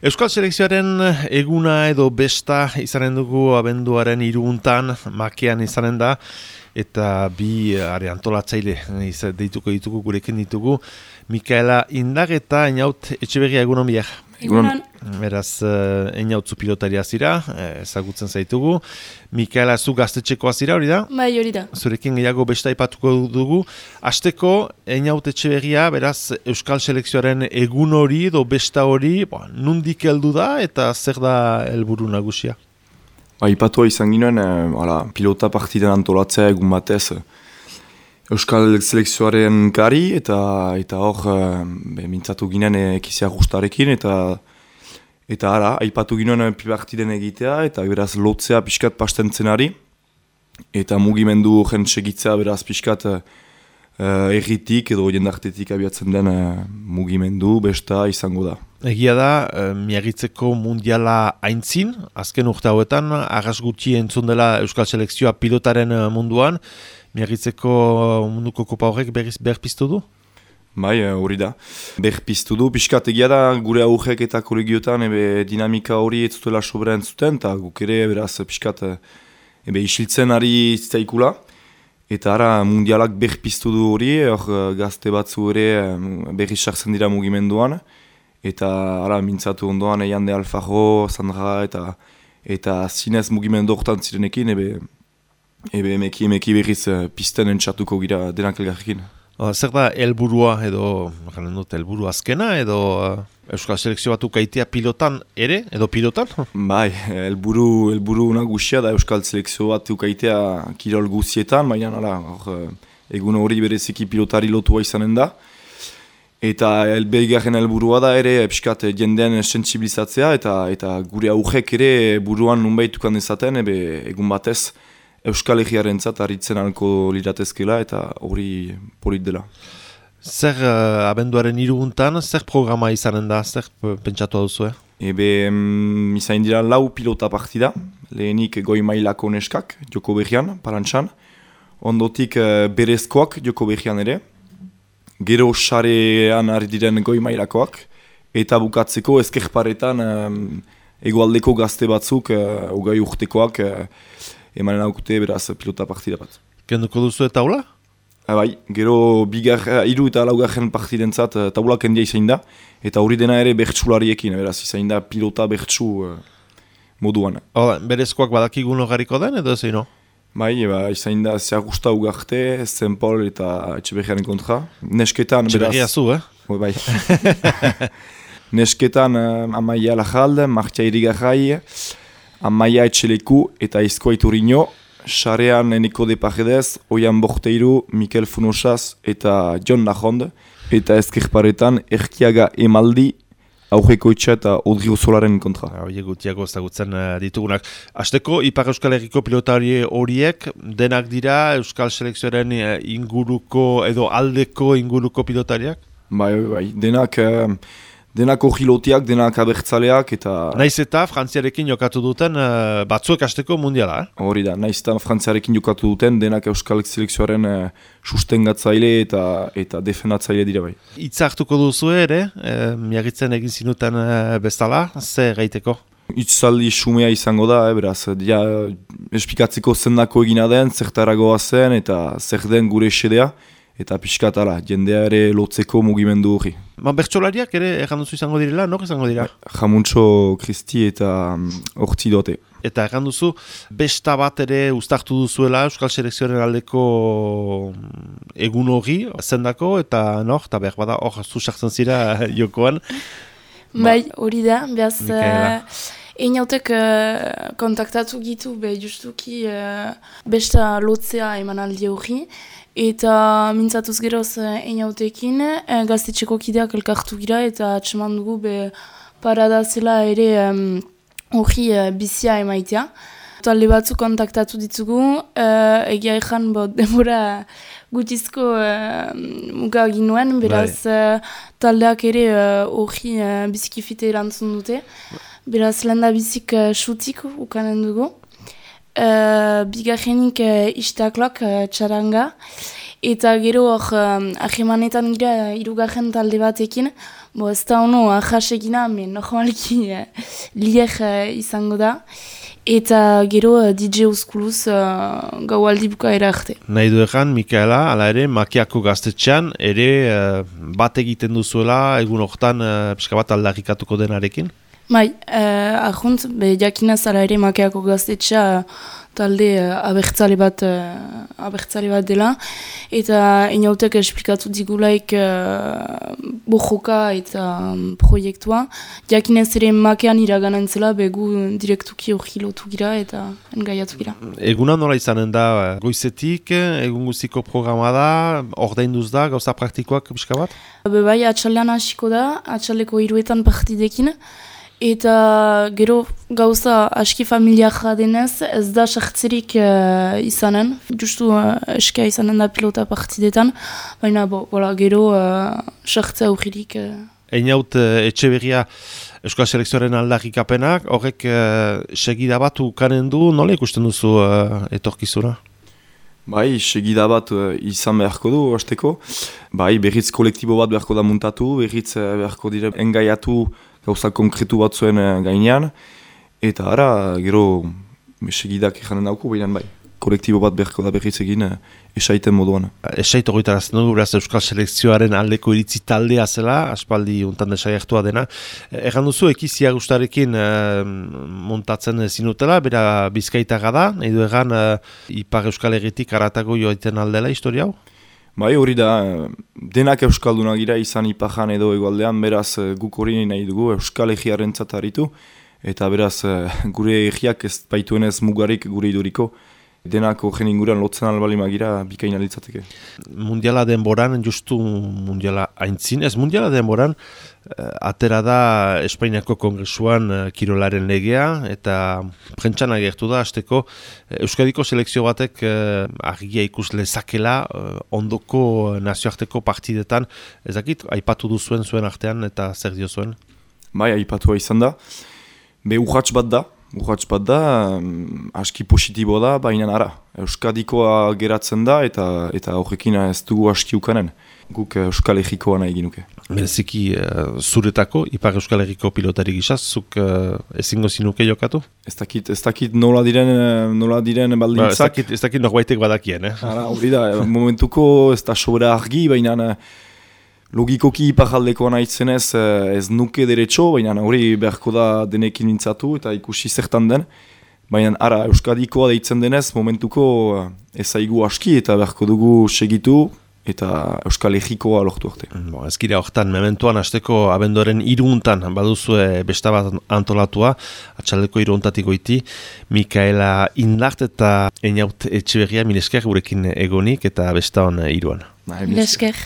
Euskal Selekzioaren eguna edo besta izanen dugu abenduaren 3 Makean izanen da, eta bi antolatzaile deituko ditugu, gurekin ditugu, Mikaela Indag eta Einaut Etxeberria, egunon biak. Egunon. Beraz, Einautzu pilotaria zira, ezagutzen zaitugu. Mikaela, zu gaztetxekoa zira, hori da? Bai, hori da. Zurekin gehiago besta aipatuko dugu. Hasteko, Einaut Etxeberria, beraz, Euskal Selekzioaren egun hori edo besta hori, nondik heldu da eta zer da helburu nagusia? Aipatua izan ginen, pilota partiden antolatzea egun batez Euskal Selekzioaren kari eta hor mintzatu ginen ekizia gustarekin eta aipatu ginen partiden egitea eta beraz lotzea pixkat pastentzenari eta mugimendu jentsegitzea beraz pixkat erritik edo jendartetik abiatzen den mugimendu besta izango da. Egia da, Miagitzeko mundiala aintzin, azken urte hauetan, arras gutxi entzun dela Euskal Selekzioa pilotaren munduan, Miagitzeko munduko kopa horrek berpiztu du? Bai, hori da. Berpiztu du, pixkat egia da gure aurrek eta kolegiotan dinamika hori ez zutela sobera entzuten, eta guk ere beraz pixkat isiltzen ari zitzaikula. Eta ara mundialak berpiztu du hori, hor gazte batzu ere berri sartzen dira mugimenduan. Eta ara mintzatu ondoan Jande Alfajo, Sandra eta zinez mugimendu horretan zirenekin, emeki berriz pisten entxatuko gira denak elgarrekin. Zer da helburua edo, helburu azkena edo Euskal Selekzio batu kaitea pilotan ere, edo pilotan? Bai, helburu nagusia da Euskal Selekzio batu kaitea kirol guzietan, baina egun hori bereziki pilotari lotua izanen da. Eta behigarren helburua da ere pixkat jendean sentsibilizatzea eta gure aurrek ere buruan nunbaitukan dezaten egun batez Euskal Herriarentzat harritzen alko liratezkela eta hori polit dela. Zer abenduaren 3 zer programa izanen da, zer pentsatu duzu? Izain dira 4 pilota partida, lehenik goi mailako neskak, Joko Berrian, Parantxan, ondotik berezkoak Joko Berrian ere, gero sarean ari diren goi mailakoak, eta bukatzeko ezkerparetan egoaldeko gazte batzuk, hogei urtekoak, emanen aukute beraz pilota partida bat. Kenduko duzu eta taula? Bai, gero 3 eta 4 partidentzat taula kendia izain da, eta hori dena ere bertsulariekin, beraz izain da pilota bertsu moduan. Berezkoak badakigun logariko den edo zein no? Bai, izain da Zeagusta Ugarte, Zenpol eta Etxeberriaren kontra. Nesketan, Etxeberria zu, Bai. Nesketan Amaia Lajalde, Martia Irigarrai, Amaia Etxeleku eta Izkoa Iturino, sarean Eneko de Paredes, Oian Borteiru, Mikel Funosaz eta John Lajond, eta ezkerparetan Erkiaga Emaldi, Aurreko itxa eta Odrio Solaren kontra. Horiek gutiago ezagutzen ditugunak. Hasteko, Ipar Euskal Herriko pilotari horiek denak dira Euskal Selekzioaren inguruko edo aldeko inguruko pilotariak? Bai, denak ojilotiak, denak abertzaleak eta... Naiz eta Frantziarekin jokatu duten batzuek hasteko mundiala, Hori da, naiz eta Frantziarekin jokatu duten denak Euskal Selekzioaren sustengatzaile eta defendatzaile dira bai. Hitza hartuko duzu ere, Miagitzen egin zinuten bezala, zer gaiteko? Itzaldi xumea izango da, beraz, espikatzeko zendako egina den, zertaragoa zen eta zer den gure esedea. Eta pixkat jendea ere lotzeko mugimendu hori. Bertsolariak ere erranduzu izango direla, nor izango dira? Jamuntxo Kristi eta Hortzi dote. Eta erranduzu, besta bat ere uztartu duzuela Euskal Selekzioaren aldeko egun hori, zendako, eta behar bada hor zuzartzen zira jokoan. Bai, hori da, behaz... Einautek kontaktatu gitu, justuki besta lotzea emanaldi hori. Eta mintzatuz geroz Einautekin, gaztetxeko kideak elkartu gira eta atseman dugu parada zela ere hori bizia emaitea. Talde batzu kontaktatu ditugu, egia ezan denbora gutizko muga egin nuen, beraz taldeak ere hori bizikifite erantzun dute. Beraz lenda bizik xutik ukanen dugu. Bigarrenik istaklok txaranga Eta gero hor ahemanetan gira hirugarren talde batekin, ez da ono ahasegina, normalki liek izango da. Eta gero DJ Euskuluz gaualdi bukaera arte. Nahi du egan, Mikaela, ala ere, Makiako gaztetxean, ere bat egiten duzuela, egun hortan pixka bat aldarrikatuko denarekin? Bai, ahunt, jakinaz ala ere Makiako gaztetxea talde abertzale bat dela, eta inautek esplikatu digulaik bojoka eta proiektua. Jakinez ere Makean iraganen zela, begu direktuki hori lotu gira eta engaiatu gira. Eguna nola izanen da, goizetik, egun guztiko programa da, ordainduz da, gauza praktikoak pixka bat? Bai, atxaldean hasiko da, atxaldeko 3 partidekin, eta gero gauza aski familiarra denez, ez da sartzerik izanen, justu eskia izanen da pilota partidetan, baina gero sartzea aurririk. Einaut Etxeberria Euskal Selekzioaren aldarrikapenak, horrek segida bat ukanen du, nola ikusten duzu etorkizuna? Bai, segida bat izan beharko du, hasteko. Bai, berriz kolektibo bat beharko da muntatu, berriz beharko dire engaiatu gauza konkretu bat zuen gainean. Eta ara, gero segidak ikanen dauku, baina bai, kolektibo bat beharko da berriz egin esaiten moduan. Esait horretarazten dugu, beraz Euskal Selekzioaren aldeko iritzi taldea zela, aspaldi untan desaiartua dena. Egan duzu, ekizia gustarekin montatzen zinutela, bera Bizkaitaga da, nahi du egan Ipar Euskal Herritik aratago joaiten aldela historia hau? Bai, hori da, denak Euskaldunak gira izan Ipajan edo Hegoaldean, beraz guk hori nahi dugu Euskal Herriarentzat aritu, eta beraz gure herriak ez baituenez mugarik gure iduriko. Denako jen inguruan lotzen albalima gira bikaina litzateke. Mundiala denboran, justu mundiala aintzin, ez mundiala denboran, atera da Espainiako Kongresuan kirolaren legea, eta prentsan agertu da, hasteko Euskadiko selekzio batek argia ikus lezakela ondoko nazioarteko partidetan, ez dakit, aipatu duzuen zuen artean eta zer dio zuen? Bai, aipatua izan da. Urrats bat da, aski positibo da, baina ara. Euskadikoa geratzen da eta horrekin ez dugu aski ukanen. Guk Euskal Herrikoa nahi ginuke. Bereziki zuretako, Ipar Euskal Herriko pilotari gisa, zuk ezingo zinuke jokatu? Ez dakit nola diren baldintzak. Ez dakit norbaitek badakien, Hori da, momentuko ez da sobera argi, baina logikoki iparaldekoa nahitzen ez nuke derecho, baina hori beharko da denekin mintzatu eta ikusi zertan den. Baina ara, Euskadikoa deitzen denez, momentuko ezaigu aski eta beharko dugu segitu eta Euskal Herrikoa lortu arte. Ez gira horretan, mementuan hasteko abenduaren 3 baduzue besta bat antolatua, atxaldeko 3 goiti, Mikaela Indart eta Einaut Etxeberria, milesker gurekin egonik eta besta hon 3. Milesker.